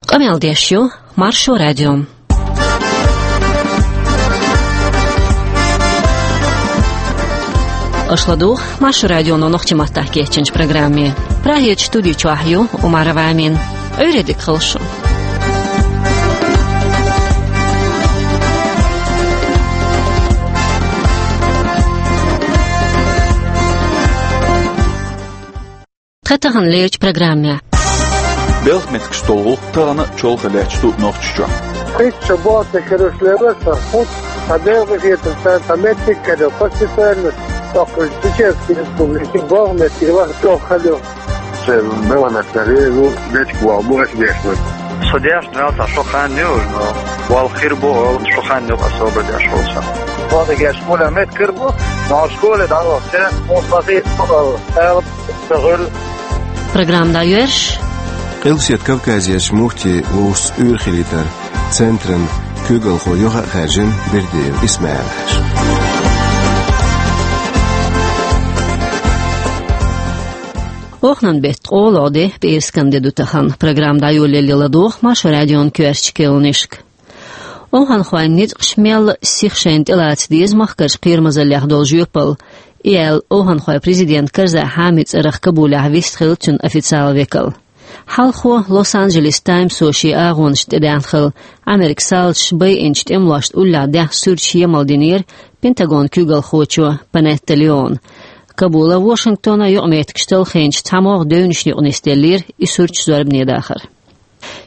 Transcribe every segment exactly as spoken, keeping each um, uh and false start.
Къамел деш ю Маршо радио. Аша ладугӀу Маршо радионо нохчийн маттахь кечйинчу программе. Прагерчу студи чохь ю Умарова Амина. Ӏуьйре дика хуьлда шун. Тхан таханлерчу программехь. Белхан меттигаш долу гӀуллакх тахана а чолхе лаьтташ ду Нохчийчохь. Кхин а боху ца карош лелла сан хӀума, сан белхан хетар царна сан меттиг каро, по специальности, тӀаккха Чеченская Республика, белхан меттиг ваха чӀогӀа хала ю. Сан белхан меттиг карийра, дечиг ваха бу аса дешна. Со дешна ваьлла сан шо хан ю, но ваьлла хир бу, шо хан ю, особо деш волу сан. Ваха деш гула меттиг кара бу, но школе дӀавахча, хӀума бахийта бу, ала. Программа дӀайоьрзуш. Къилбаседа Кавказерчу муфти вовшашца уьйр хилийтаран центран куьйгалхо юха а хаьржина Бердиев Исмаил-Хьаьжа. Оханан беттан къоло де, пӀераскан де ду тахана. Программа дӀайолале ладогӀа Маршо радион коьртачу керланашка. Оханхойн ницкъаш мелла а сиха шайна тӀелаца деза махкарчу кхерамазаллех долу жоьпалла, и аьлла, оханхойн президент Карзай Хьамид цӀарах Кабулехь вистхилла цуьнан официалан векал. Хьалхо Лос-Анджелес Таймсо шен агӀонашна тӀедаьхна хилла, Ӏамеркан салазаш байинчу тӀемалошна уллехь даьхна суьрташ емал динера Пентагонан куьйгалхочо Панетта Леона. Кабула Вашингтона юкъаметтигаш талхийнчу цхьамогӀа девнашна юкъа нисделлера и суьрташ зорбане дахар.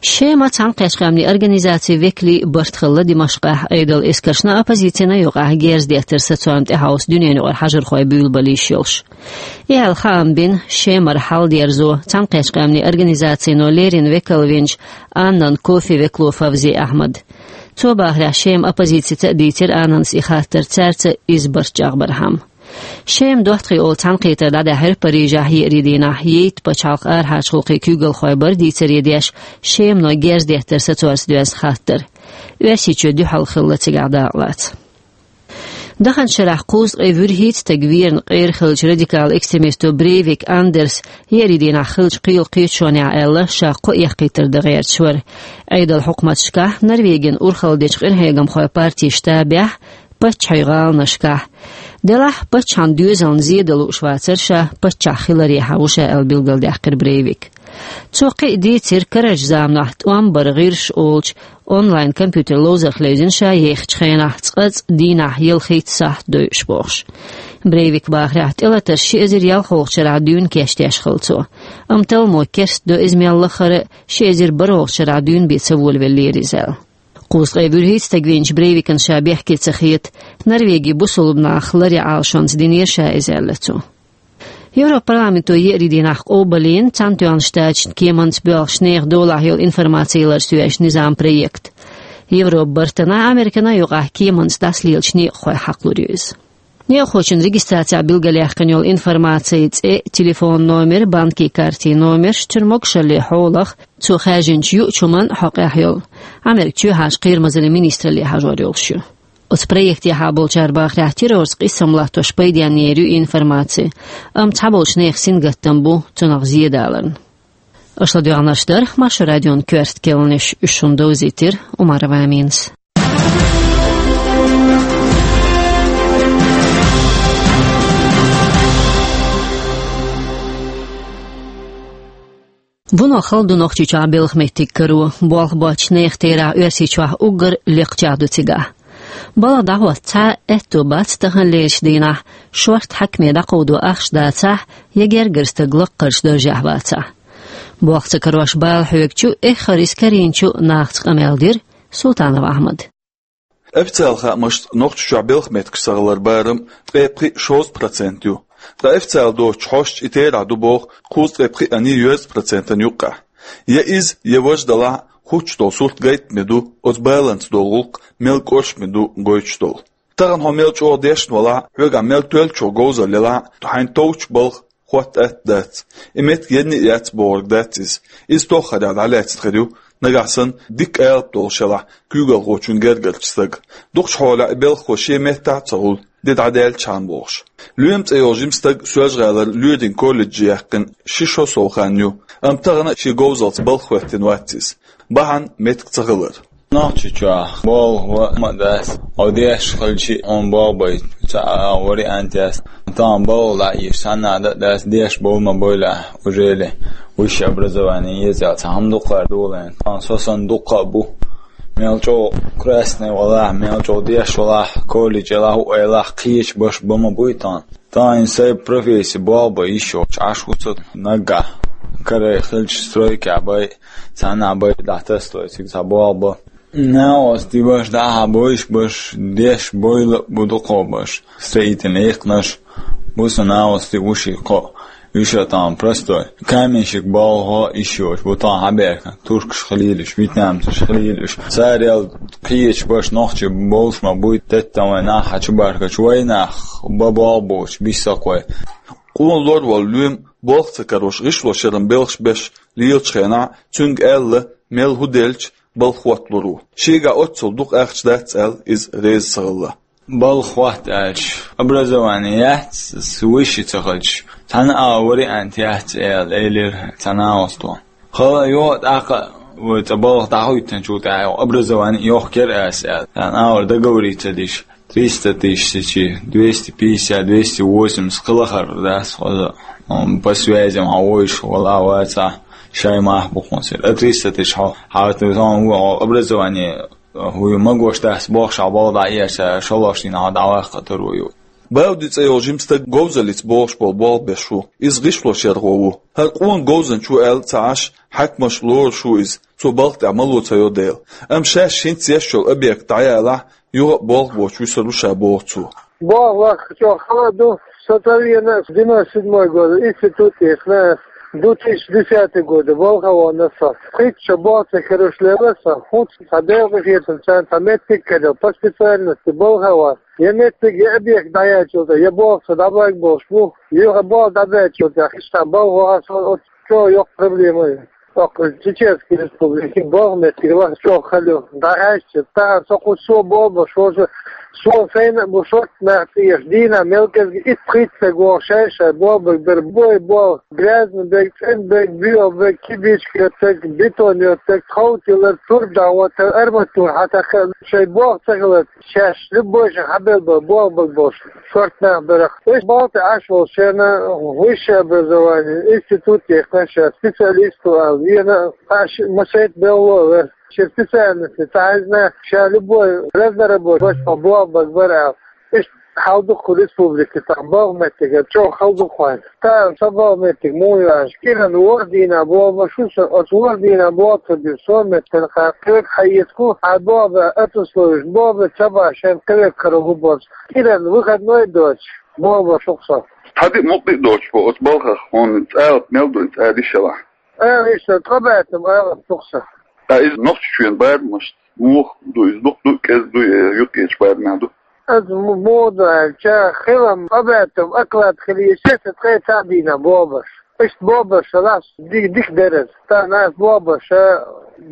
Шема цхьаьнакхетта къоман организацийн векалийн барт хилла Димашкъехь, Ӏедалан эскаршна а, оппозицина а юкъахь герз деттар сацорна тӀехьовса дуьненаюкъара хьажархой буьйлабала йиш йолуш. И аьлла хаам бина Шемара хьал дерзо цхьаьнакхетта къоман организацино леррина векал винчу Аннан Кофи векало Фавзи Ахьмада. Цо бахарехь, Шеман оппозицица а дийцира Аннанас и хаттар, цаьрца иза барт чӀагӀбархьама. Шеман доттагӀий олу цхьаьнакхетар дӀадаьхьира Парижехь еарин дийнахь, Египет пачхьалкхан арахьарчу гӀуллакхийн куьйгалхой бара дийцаре деш, Шемано герз деттар сацорца доьзна хаттар. Оьрсийчоь дуьхьал хилла цигахь дакъалаца. Даханчу шарахь кхузткъе вуьрхӀитта стаг верна къера хиллачу радикалан экстремисто Брейвик Андерса еарин дийнахь хиллачу кхелан кхеташонехь аьлла, ша кхо эккхийтар дан гӀерташ вара. Ӏедалан хьукматашкахь, Норвегин урхалла дечу къинхьегамхойн партин штабехь, паччахьийн гӀаланашкахь. Делахь паччахьан доьзална зен дан лууш вацара ша паччахь хиларехьа ву ша аьлла билгалдаьккхира Брейвика. Цо кхин а дийцира, карарчу заманахь тӀом бар гӀирс олучу онлайн-компьютер ловзарх левзина ша ехачу хенахь цкъа-цкъа дийнахь ялхитта сахьт дойуш бохуш. Брейвика бахарехь, тӀелатарш ши эзар ялхолгӀачу шарахь дуьйна кечдеш хилла цо. Амма талламо керстадо иза мел лаххара а, ши эзар бархӀолгӀачу шарахь дуьйна бен ца волавеллера иза аьлла. Кхузткъе вуьрхӀитта стаг винчу Брейвикана ша бехке ца хета, Норвегин бусулба нах ларъян Ӏалашонца динера ша иза аьлла цо. Европарламенто еарин дийнахь къобалйина Цхьаьнатоьхначу Штаташна кеманца боьлхучу нехан долахь йолу информаци яларца йоьзначу низаман проект. Европан бартана, Американа а юкъахь кеманца дӀасалелачу некъахой хьакхалур ю иза. Некъахочун регистрацехь билгалъяьккхина йолу информаци, цӀе, телефон номер, банкийн картин номерш, цуьнан могушаллин хьолах, цо хаьржинчу юучу хӀуманан хьокъехь йолу, Американ чоьхьарчу кхерамазаллин министралле хьажор йолуш ю. Оцу проектехьа болчара бахарехь, террорца къийсам латтош пайденна ю и информаци, амма цхьаболчу нехан сингаттам бу цунах зен даларна. Аша ладоьгӀнарш дара Маршо радион коьрта керланаш, уьш шуна довзийтира Умарова Аминас. Вуно хала ду Нохчийчохь белхан меттиг каро, болх боцчу нехан терахь Оьрсийчохь уггар лекхачех ду цигахь. Балха дӀахӀотта цхьа а аьтто бац таханлерчу дийнахь, шортта хьаькаме дӀакховдо ахча дацахь, я гергара стаг лаккхарчу даржехь вацахь. Болх ца карош бала хьоьгучу, эххар иза карийначу нахаца къамел дира Султанов Ахьмада. Официалан хаамашца, Нохчийчохь белхан меттигаш ца хиларан барам ткъе пхиъ-шовзткъа процент ю. Ткъа официалан доцучу хьосташа и терахь ду боху кхузткъе пхиъанний йоьзткъа процентана юккъехь. Я иза, я важа далахь а, хӀуттуш долу сурт гайтаме ду, оцу баланца долу гӀуллакх мел кӀоршаме ду гойтуш долу. Тахана хьо мел чӀогӀа дешна валахь а, хьоьгахь мел тоьллачух говзалла елахь а, хьайна товчу балха хӀотта атта дац. И меттиг енна а яц бохург дац иза. Иза тоххарехь дӀалаьцна хир ю, нагахь санна дикка алапа долуш елахь куьйгалхочун гергарчу стага. Дукхачу хьолехь и белхахо шен меттахь а ца хуьлу, де дӀадаьллачхьана бохуш. Лоьма цӀе йолу жима стаг Соьлжа-ГӀалара лоьрийн колледже яьккхина ши шо сов хан ю, амма тахана а шен говзаллица балха хӀоьттина вац иза. бахьан меттиг ца хилар. Нохчийчохь болх бан ма дац, хьо деш хилча а хьуна болх бай, цхьа а вариант яц. Тахана болх дӀа а еш, цхьанна а дац, деш болх ма бойла, уже ли высшее образование еза аьлла, цхьа хӀума дукха долу. Тахана со санна дуккха а бу. Мел чӀогӀа красный валахь, мел чӀогӀа деш валахь, колледж елахь, хӀу елахь, кхечу баш бан ма буй тахана. Тахана сайн профессия болх бан йиш йолчу Ӏаш ву со наггахь. Карай хилча стройкехь бай, цхьанна а бай дӀатастой, цига цхьа болх бан. Нахьост баш, дӀахьа бойш баш, деш бойла а бу дукхо баш. Строительный экхнаш бу со нахьост ву ши кхо. Уьш а тахана простой каменщик болх бан йиш йолуш бу тахана хьабаьхкина. Туркаш хилийлаш, вьетнамцаш хилийлаш. Царел кхечу баш нохчий болуш ма буй, теттам вай нах хьачу баркачу вай нах бан болх боцуш, биссакхой. Къона лор волу лоьма болх ца карош, гӀишлошъяран белхаш беш лелачу хенахь, цуьнга аьлла, мел хӀу делча, балха хӀотталур ву. Шегахь оццул дукха ахча дац аьлла, иза реза ца хилла. Балха хӀотта аьлча, образование яц, высший ца хилча, цхьана а вариант яц аьлла, элира цхьа нахьосто. Хала а йо, тӀаккха а вай цӀа балха дӀахӀоьттинчул тӀаьхьа образование йохкур ас аьлла, цхьана а вара договориться диш. Триста тысяч сечи, двести пятьдесят, двести восемьдесят кхин лахара дац хоза. М, по связям хьан вуйш вала а вацахь, шай мах бу хьуна сир. А триста тысяч хьо, хьан ву хьо образование, хӀу ю магош дац бохуш, хьан болх дӀа а еш, шолгӀачу дийнахь хьо дӀаваккха таро ю. Бауди цӀе йолу жима стаг говзаллица бохуш болу болх беш ву. Иза гӀишлошъярхо ву. ХӀара къона говзанча ву аьлла ца Ӏаш, хьаькамаш лоруш ву иза. Цо балха тӀехь мало ца йо дела. Амма шаьш хӀинца еш йолу объект дӀаялахь, юха а болх боцуш вуьсур ву ша, боху цо. Болх ваккха чӀогӀа хала ду. Со ца вена девяносто седьмой года, институт тӀехь ас, две тысячи десятый года болх а вахана со. Пхийтта шо болх ца карош лелла со. ХӀинца цхьа Делан къинхетамца цхьа меттиг карийна по специальности болх а вахана. Я меттиг, я объект дӀаяьллачул тӀаьхьа, я болх со дӀабаьлла болуш бу, юха болх дӀабаьллачул тӀаьхьа, иштта болх вахана со, оцу чӀогӀа йоккха проблема ю. ТӀаккха Чеченский Республике болх меттиг вахана чӀогӀа хала ю. ДӀахаьжча, тахана со кху со болх беш волчу, со сайна а бу шортта нах тӀе еш, дийнахь мел кӀезиг итт-пхийтта стаг вогӀу шай-шай болх бан бара, бой болх, грязный берг, цӀена берг, боьха берг, кибичка йоцург, бетон йоцург, тхов тиллар, турба дӀахӀоттар, арматура хьатакхар, шайн болх ца хилар. Шаьш любой шен хьабелла бара болх бан болуш шортта нах бара. Уьш болх тӀехь Ӏаш волчеран высшее образование, институт тӀехь ша специалист ву аьлла, вена а, аш ма сайта белло а вара. Шен специальности ца хьаьжна, ша любой разнорабочий болх бан бара аьлла. Иштта хьал ду кху республике тахана болх меттиган, чӀогӀа хала ду кхуьнан. Тахана со болх меттиг муха ю аьлча, кӀиран ворхӀ дийнахь болх беш ву со, оцу ворхӀ дийнахь болх ца беш, со меттана кхин кхевиг хьаэцаргу, хьан болх бан аттасловиш, болх бан ца бахь шен кхевиг каро хӀу боцу. КӀиран выходной доцуш, болх беш ву-кх со. Цхьа диъ мукъа диъ доцуш бу оцу балхах, хьуна цӀалат мел ду, цӀа дишалахь. Ала иштта, ткъа баьттам алапа тухса. Ткъа иза Нохчийчоьнан барамашца муха ду иза, дукха ду, кӀезиг ду, я юккъерчу барамехь ду? Аса м-, муха ду аьлча, хилам ткъа баьттам оклад хилийча, аса ткъе цхьаъ дийнахь болх беш. Иштта болх беш хилахь, ди-, дика дара иза. Тахана аса болх беш,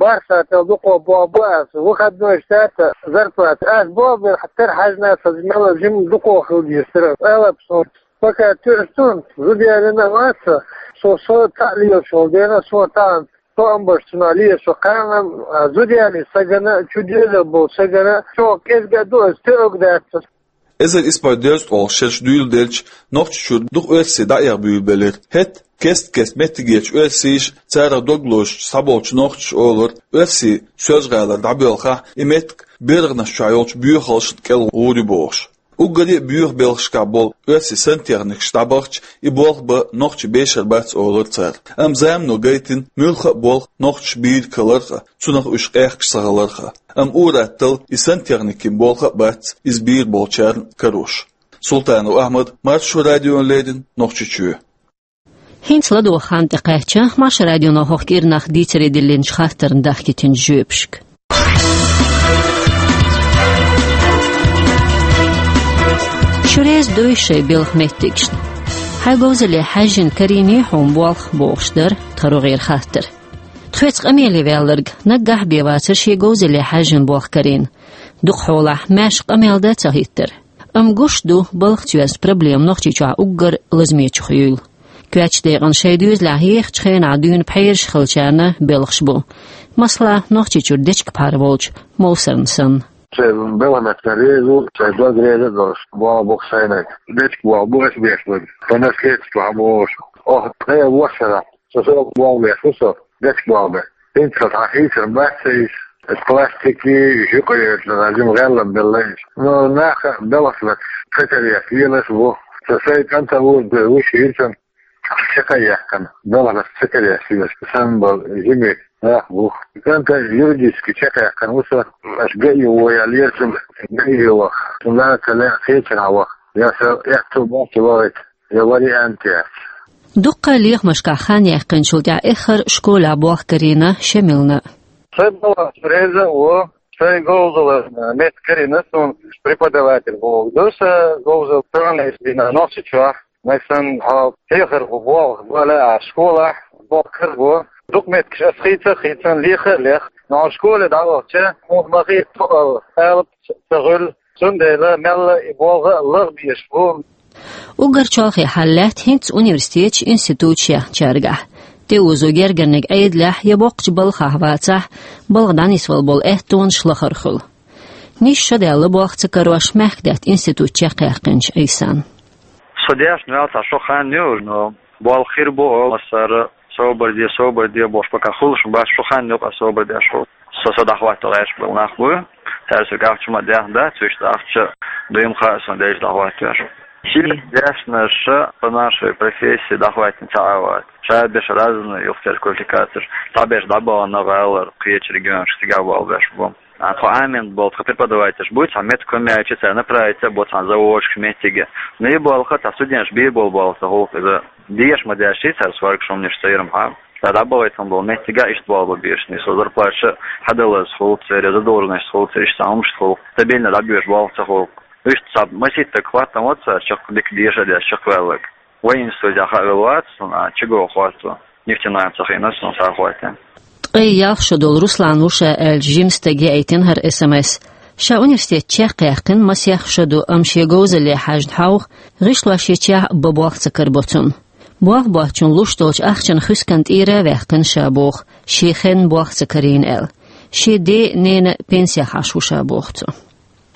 бархӀ сахьтел дукхо болх бу аса, выходной сахьта зарплата. Аса болх бер тера хьаьжна аса мел жима дукхо хила дезара. Алапа суна. Пока туьйсуш ду, зуда ялийна а вац со, со, со цхьаъ лелаш волу дела, со тахана тоам беш цунах лелаш ву кхана, а, зуда ялийна стагана, чу доьзал болу стагана, чӀогӀа кӀезиг а ду аса, тоьуг дац аса. Эзар исс бӀе дезткъе шолгӀа шераш дуьйладелча, Нохчийчуьра дукха оьрсий дӀаэха буьйлабелира. ХӀетахь кест-кеста меттигерчу оьрсийша, царах дог лозучу схьаболчу нохчаша олура, оьрсий Соьлжа-ГӀалара дӀабоьлхахь, и меттиг берхӀанаш чохь йолчу боьхалшна кӀел гӀур ю бохуш. Уггаре а боьха белхашкахь болу оьрсийн сантехникаш дӀабахча, и болх бан нохчий бешар бац олура цара. Амма замано гайтина муьлхха а болх нохчаша бийр каларх а, цунах уьш къехкаш ца хиларх а. Амма ур-атталла и сантехникийн болх а бац, иза бийр болчарна карош. Султанов Ахьмад, Маршо радиона леррина, Нохчийчоь. ХӀинца ладогӀа хан тӀекхаьчча, Маршо радионо хӀокху кӀирнах дийцаре диллинчу хаттарна дахкийтинчу жоьпашка. Шу реза дуй шайн белхан меттигашна? Хьайн говзалле хьаьжжина карийний хьуна болх бохуш дара тхан рогӀера хаттар. Тхоьца къамеле ваьлларг наггахь а бен вацара шен говзалле хьаьжжина болх карийна. Дукха хьолахь маьрша къамел дан ца хӀиттара. Амма гуш ду, балхаца йоьзна проблема Нохчийчохь уггар лазамечух юйла. Коьртачу декъана шайн доьзалехь ехачу хенахь дуьйна пхьераш хиллачарна белхаш бу. Масала, Нохчийчуьра дечка пхьар волчу Мовсарна санна. Шайн белхан меттана реза ву, шайн дог реза а долуш, болх бу-кх сайнаг. Дечка болх бу аса беш берг. Сан наследство хьан бохуш. Оха ткъе ворхӀ шарахь со, со болх беш ву со, дечка болх беш. ХӀинца хьан хийцар бац сан иза. Пластики, жуьгтий, жима гӀеллам белла иза. Но наха белхаш ца кареш лелаш а ву. Со сайн кӀанта вур бу, вуьш хӀинца чекхъяьккхина, белхаш ца кареш лелаш. Сан болу жима нах бу. КӀанта юридически чекхъяьккхина ву со, аш ГАИ ву ял ерчун, ГАИ ваха. Цунна ца лаьа кхечара ваха. Я со аьтту бохчу вахийта, я вариант яц. Дуккха а лехамашкахь хан яьккхинчул тӀаьхьа эххар школехь болх карийна Шамилна. Сайн балхах реза а ву, сайн говзалла меттиг карийна суна преподаватель ву. Ду сан говзалла тахана дина Нохчийчохь. Масала, хьо хьехар ву болх бала а, школахь болх карор бу. Дукха меттигаш ас хийца а хийцина, леха а леха. Но хьо школе дӀавахча, хьуна ма хета тхо ала, алапа ца хуьлу. Цундела мелла а и болх а лаха безаш бу. Уггар чолхе хьал лаьтта хӀинца университеташ, институташ яьхначаьргахь. ТӀеозо гергарниг Ӏедалехь я боккхачу балхахь вацахь, балха дӀанисвала болу аьттонаш лахара хуьлу. Нийсса шо даьлла болх ца карош, мехкдаьтта институт чекхъяьккхинчу Ӏийсан. Со дешна ваьлла цхьа шо хан ю, но болх хир бу, массара собар де, собар де бохуш, пока хуьлуш ма бац, шо хан ю-кх ас собар деш хуьлу. Со, со дӀахӀотто гӀерташ болу нах бу, цара соьга ахча ма даьхна дац, вуьшта ахча дуй ма хаьа сан дайша дӀахӀоттош. Шен дешнаш по нашей профессии дӀахӀоьттина ца Ӏа вац. Ша берш разный юхатера квалификацеш, цхьаберш дӀабахана гӀалара кхечу регионашка, цигахь болх беш бу. А тхо Ӏамийна болу тхан преподавательш буй, цхьа меттиг хӀума яьлча, цара направить а бо цхьана заводашка, меттиге. Но и болх, цхьа студенташ бийр болу болх ца хуьлу-кх иза. Деша ма дешший цара схьаргаш хӀуманаш церан хьан. Цара дӀабахийтина болу меттигехь иштта болх бан безаш, нийса зарплаташ хьадалаза хуьлу церан, задолженность хуьлу церан, иштта хӀуманаш хуьлу. Стабильно дӀабоьжуш болх ца хуьлу-кх. Иштта цхьа масийтта хӀоттам вац цара чекх дика деша а деш чекхваьлларг. Военнослужащий хьавелла вац суна, а чуьнга хӀотто, нефтяной ца хиъна суна схьахӀоттийна. Ткъе ялх шо долу Руслан ву ша аьлча, жима стаг яийтина хӀара СМС. Ша университет чекхъяьккхина масех шо ду, амма шен говзалле хьаьжна хьовха, гӀишлош йича а бан болх ца карабо цунна. Болх боцчунна луш долчу ахчанан хӀусамна тӀера а ваьккхина ша боху, шен хенна болх ца карийна аьлла. Шен ден а, ненан а пенсехь Ӏаш ву ша боху цо.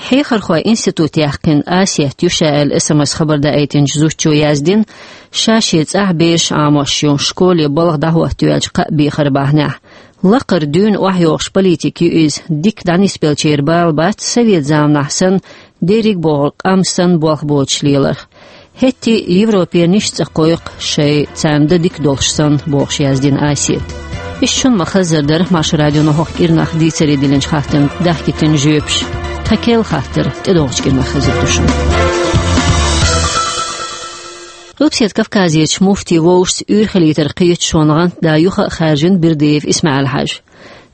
Хьехархой институт яьккхина Асет ю ша аьлла СМС хабар даийтинчу зудчо яздина, ша шен цӀахь бераш Ӏамош ю, школе балха дӀахӀоттайоьлча кхаъ бехар бахьанехь. Лакхара дуьйна охьайогӀуш политик ю иза, дика дӀанисбеллачеран бала бац совет заманахь санна, дерриг а бохург къам санна болх боцуш леларх. ХӀетте а Европера нисса цӀа кхойкху шайн, царна дан дика долуш санна, бохуш яздина Асета. Иштта шуна ма-хаззара дара Маршо радионо хӀокху кӀирнах дийцаре диллинчу хаттарна дахкийтина жоьпаш. Тхан керла хаттар тӀедогӀучу кӀирнах хезар ду шуна. Къилбаседа Кавказерчу муфтин вовшашца уьйр хилийтаран кхеташонан гӀантда юха а хаьржина Бердиев Исмаил-Хьаьжа.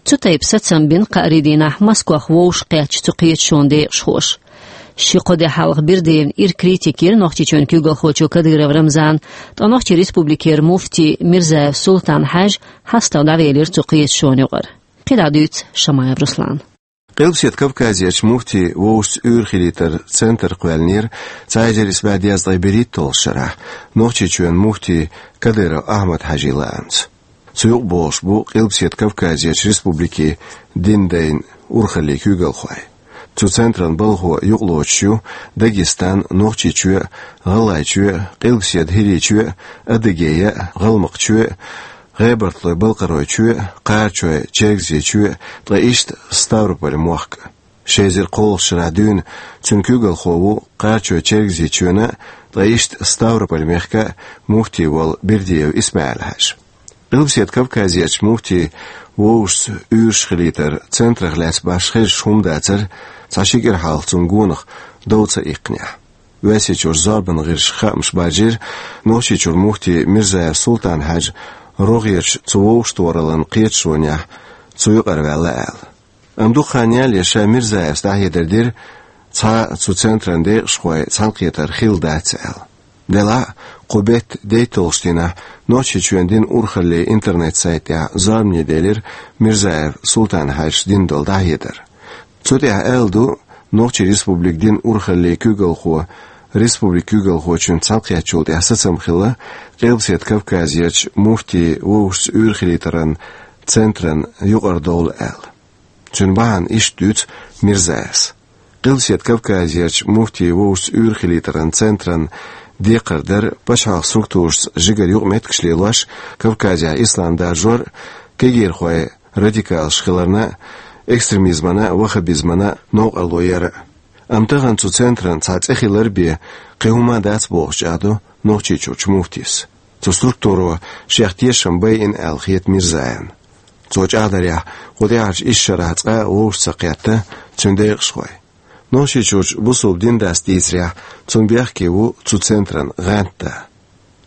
Цу тайпа сацам бина кхаарин дийнахь Москох вовшах кхаьчча цу кхеташонан декъашхоша. Ши-кхо де хьалха Бердиевна ира критика йира Нохчийчоьнан куьйгалхочо Кадыров Рамзана, ткъа Нохчийн Республикера муфти Мирзаев Султан-Хьаьжа хьастагӀа дӀавелира цу кхеташонан юкъара. КхидӀа дуьйцу Шамаев Руслана. Къилбаседа Кавказерчу муфтин вовшашца уьйр хилийтаран центр кхоьллинера цхьа эзар исс бӀе дезткъе берхӀитталгӀачу шарахь Нохчийчоьнан муфтин Кадыров Ахьмад-Хьаьжин лаамца. Цу юкъа богӀуш бу Къилбаседа Кавказерчу республикийн динан дайн урхаллийн куьйгалхой. Цу центран балхо юкъалоцуш ю Дагестан, Нохчийчоь, ГӀалгӀайчоь, Къилбаседа ХӀирийчоь, Адыгея, ГӀалмакхчоь, ГӀебартхойн-Балкхаройчоь, Кхарачойн-Чергазийчоь, ткъа иштта Ставрополь мохк а. Ши эзар кхоалгӀачу шарахь дуьйна цуьнан куьйгалхо ву Кхарачойн-Чергазийчоьнан а, ткъа иштта Ставрополь-мехкан а муфти волу Бердиев Исмаил-Хьаьжа. Къилбаседа Кавказерчу муфтин вовшашца уьйраш хилийтаран центрах лаьцна башха хезаш хӀума дацара цхьа ши кӀира хьалха цунна гонах дов ца иккхинехь. Оьрсийчуьра зорбанан гӀирсашка хаамаш баржийра Нохчийчуьра муфти Мирзаев Султан-Хьаьжа рогӀерчу цу вовшахтохараллин кхеташонехь цу юкъара ваьлла аьлла. Амма дукха хан яьлла ша Мирзаевс дӀахьедар дира, цхьа а цу центран декъашхой цхьаьнакхетар хилла дац аьлла. Делахь а, кху беттан дейтталгӀачу дийнахь Нохчийчоьнан динан урхаллийн интернет-сайт тӀехь зорбане делира Мирзаев Султан-Хьаьжас дина долу дӀахьедар. Цу тӀехь аьлла ду Нохчийн Республикан динан урхаллийн куьйгалхо республикан куьйгалхочуьнца цхьаьнакхеттачул тӀаьхьа сацам хилла Къилбаседа Кавказерчу муфтий вовшашца уьйр хилийтаран центран юкъара довла аьлла. Цуьнан бахьана иштта дуьйцу Мирзаевс. Къилбаседа Кавказерчу муфтий вовшашца уьйр хилийтаран центран декхар дара пачхьалкхан структурашца жигара юкъаметтигаш лелош, Кавказехь ислам даржор а, кегийрхой радикалаш хиларна а, экстремизмана а, ваххабизмана а новкъарло яр а. Амма тахана цу центран цхьа цӀе хилар бен кхин хӀума дац бохуш чӀагӀдо Нохчийчуьрчу муфтис. Цу структуро шех тешам байина аьлла хета Мирзаевна. Цо чӀагӀдарехь, кху тӀаьхьарчу исс шарахь цкъа а вовшах ца кхетта цуьнан декъашхой. Нохчийчуьрчу бусалба динан дас дийцарехь, цунна бехке ву цу центран гӀанта да.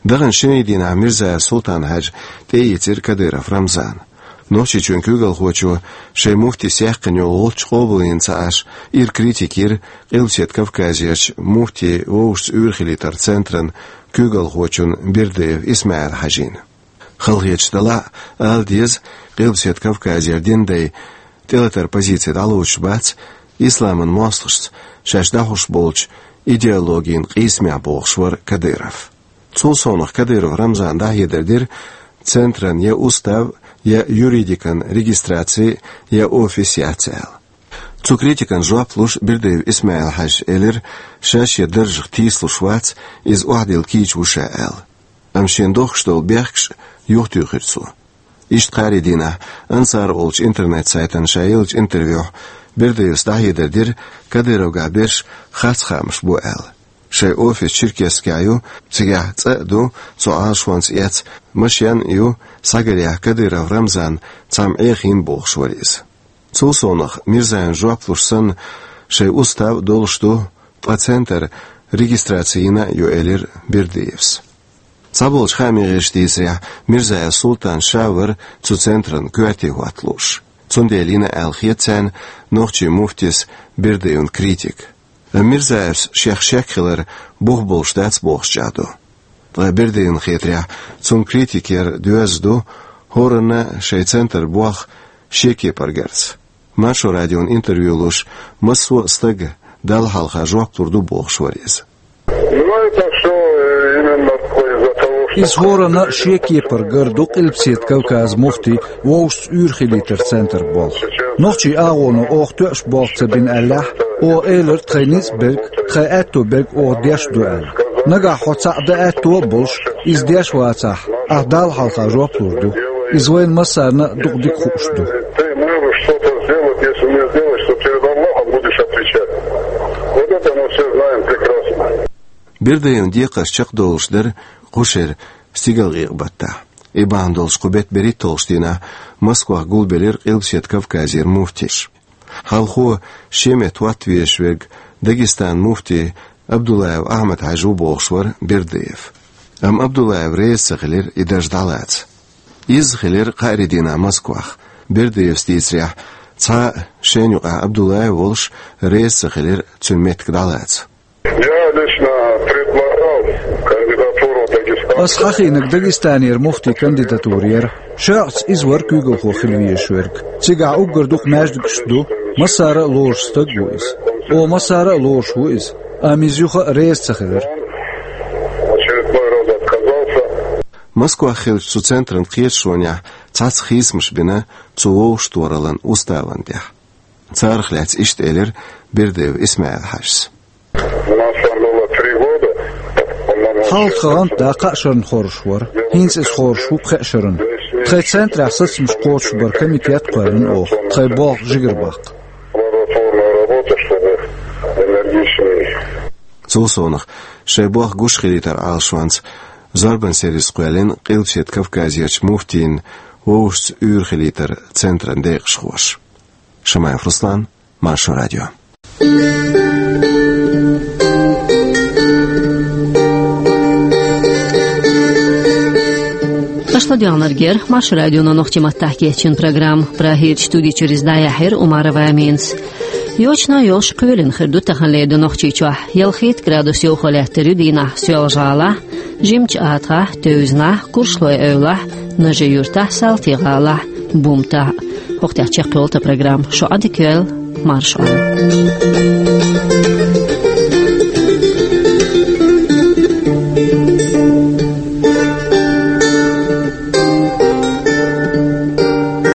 Даханчу шинарин дийнахь Мирзаев Султан-Хьаьжа тӀеийцира Кадыров Рамзана. Нохчийчоьнан куьйгалхочо шайн муфтис яьккхина йолу гӀулч къобалйина ца Ӏаш, ира критика йира Къилбаседа Кавказерчу муфтий вовшашца уьйр хилийтаран центран куьйгалхочун Бердыев Исмаил-Хьаьжин. Халахеташ далахь а, ала деза, Къилбаседа Кавказера динан дай тӀелатаран позици дӀалоцуш бац, исламан мостагӀашца шаьш дӀахьош болчу идеологин къийсамехь бохуш вара Кадыров. Цул совнаха Кадыров Рамзана дӀахьедар дира центран я устав, я юридикан регистраци, я офис яц аьлла. Цу критикана жоп луш Бердыев Исмаил-Хьаьжас элира, ша шен даржах тийсалуш вац, иза охьадилла кийча ву ша аьлла. Амма шена дохкуш долу бехкаш юхатуьйхира цо. Иштта кхаарин дийнахь Ансар олучу интернет-сайтана ша еллачу интервьюхь Бердыевс дӀахьедар дира, Кадыровгахь берш харц хаамаш бо аьлла. Шайн офис Черкесскехь ю, цигахь цӀа а ду, цу Ӏалашонца эцна машен а ю, схьагарехь Кадыров Рамзан цхьамма Ӏехийна бохуш вара иза. Цул совнаха Мирзаевна жоп луш санна, шайн устав а долуш ду, ткъа центр регистраци йина а ю, элира Бердыевс. Цхьаболчу хааман гӀирсаша дийцарехь, Мирзаев Султан ша вара цу центран коьрте хӀотта лууш. Цундела йина аьлла хета царна нохчийн муфтис Бердыевн критика. Амма Мирзаевс шех шек хилар бух болуш дац бохуш чӀагӀдо. Ткъа Бердыевн хетарехь, цунна критика яр доьзна ду, хӀоранна шайн центран болх шен кепара гарца. Маршо радиона интервью луш, массо а стага Далла хьалха жоп лур ду бохуш вара иза. Ну, это всё, э, именно из-за того, что... Иза хӀоранна шен кепара гар ду Къилбаседа Кавказан муфтий вовшашца уьйр хилийтаран центран болх. Нохчийн агӀоно оха тоьуш болх ца бина аьллехь, оха элира тхайн ницкъ берг, тхайн аьтто берг оха деш ду аьлла. Нагахь хьо цхьаъ дан аьтто а болуш, иза деш вацахь, ахь Далла хьалха жоп лур ду. Иза вайна массарна а дукха дика хууш ду. Ты можешь что-то сделать, если не сделаешь, то перед Аллахом будешь отвечать. Вот это мы все знаем прекрасно. Бердыевн декхарш чекхдолуш дара кху шеран стигалкъекъа баттахь. И бахьана долуш кху беттан берхӀитталгӀачу дийнахь Москвахь гулбелира Къилбаседа Кавказера муфтий. Хьалхо шен метта хӀотта везаш верг Дагестанан муфтий Абдуллаев Ахьмад-Хьаьжа ву бохуш вара Бердыев. Амма Абдуллаев реза ца хилира и дарж дӀалаца. Изза хилира кхаарин дийнахь Москвахь. Бердыевс дийцарехь, цхьа а шайна юкъахь Абдуллаев волуш реза ца хилира цуьнан меттиг дӀалаца. Я лично предлагал кандидатуру Дагестана. Ас хьахийнарг Дагестанера муфтийн кандидатура яра. ШолгӀаца иза вара куьйгалхо хила везаш верг. Цигахь уггар дукха маьждигаш а ду, массара а лоруш стаг ву иза. Оха массара а лоруш ву иза. Амма иза юха а реза ца хилира. В очередной раз отказался. Москвахь хиллачу цу центран кхеташонехь цхьацца хийцамаш бина цу вовшахтохараллан уставан тӀехь. Царах лаьцна иштта элира Бердыев Исмаил-Хьаьжас. У нас там было три года, по-моему. Хьалха тхан гӀант дан кхаа шарна хоржуш вара. ХӀинца иза хоржуш ву пхеа шарна. Тхайн центрехь сацамаш кхочушбаран комитет а кхоьллина оха, тхайн болх жигара баккха. Плодотворную работу, чтобы энергичнее. Цул совнаха, шайн болх гуш хилийтаран Ӏалашонца зорбан сервис кхоьллина Къилбаседа Кавказерчу муфтийн вовшашца уьйр хилийтаран центран декъашхоша. Шамаев Руслан, Маршо радио. Аша ладоьгӀнарг яра Маршо радион нохчийн маттахь кечйина программа. Прагерчу студи чуьра иза дӀаяьхьира Умарова Аминас. Йочана йолуш кхоьлина хир ду таханлера ду Нохчийчохь. Ялхитта градус йовха лаьттар ю дийнахь Соьлжа-ГӀалахь, Жимачу АтагӀахь, Тевзанахь, Куршлой-Эвлахь, Нажи-Юьртахь, Салти-ГӀалахь, Бумтахь. ХӀокху тӀехь чекхйолу тхан программа. Шу Ӏадика йойла, марша Ӏойла.